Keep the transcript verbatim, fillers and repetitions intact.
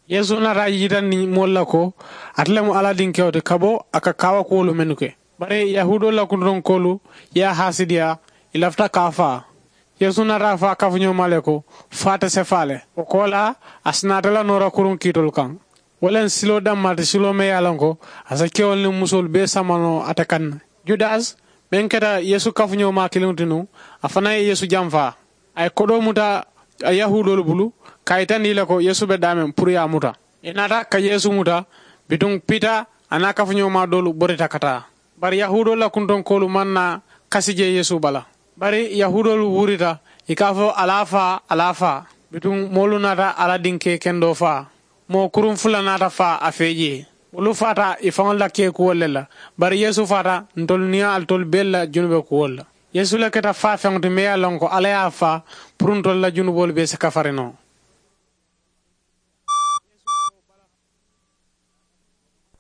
Yeesu naata a yitandi moolu la ko ate le mu alla dinkewo ti ka bo a ka kaawakuwolu mennu ke. Bari yahuudoolu la kuntonkoolu ye a haasidiyaa, ì lafita ka a faa. Yeesu naata a fo a kafuñoomaa le ko, faa te sefaa le. Wo koolaa, a si naata la noora kuruŋ kiitolu kaŋ. Wo le n siloo dammaa ti siloo meŋ ye a loŋ ko a si kewolu niŋ musoolu bee sama noo ate kaŋ ne. Judasi meŋ keta yeesu kafuñoomaa kiliŋo ti nuŋ, a fanaa ye yeesu jamfaa. A ye kodoo muta yahuudoolu bulu, ka a yitandi ì la ko yeesu be daameŋ puru ye a muta. Ì naata ka yeesu muta. Bituŋ pita a niŋ a kafuñoomaa doolu borita ka taa. Bari yahuudoolu la kuntonkoolu maŋ naa kasi je yeesu bala. Bari yahuudoolu wurita, ì ka a fo a la a faa, a la a faa. Bituŋ moolu naata a la dinkee kendoo faa. Moo kuruŋ fula naata faa a fee jee. Wolu faata ì faŋolu la keekuwolu le la. Bari yeesu faata ntolu niŋ alitolu beelu la junube kuwolu la. Yeesu le keta faafeŋo ti meŋ ye a loŋ ko alla ye a faa, puru ntolu la junuboolu bee si kafari noo.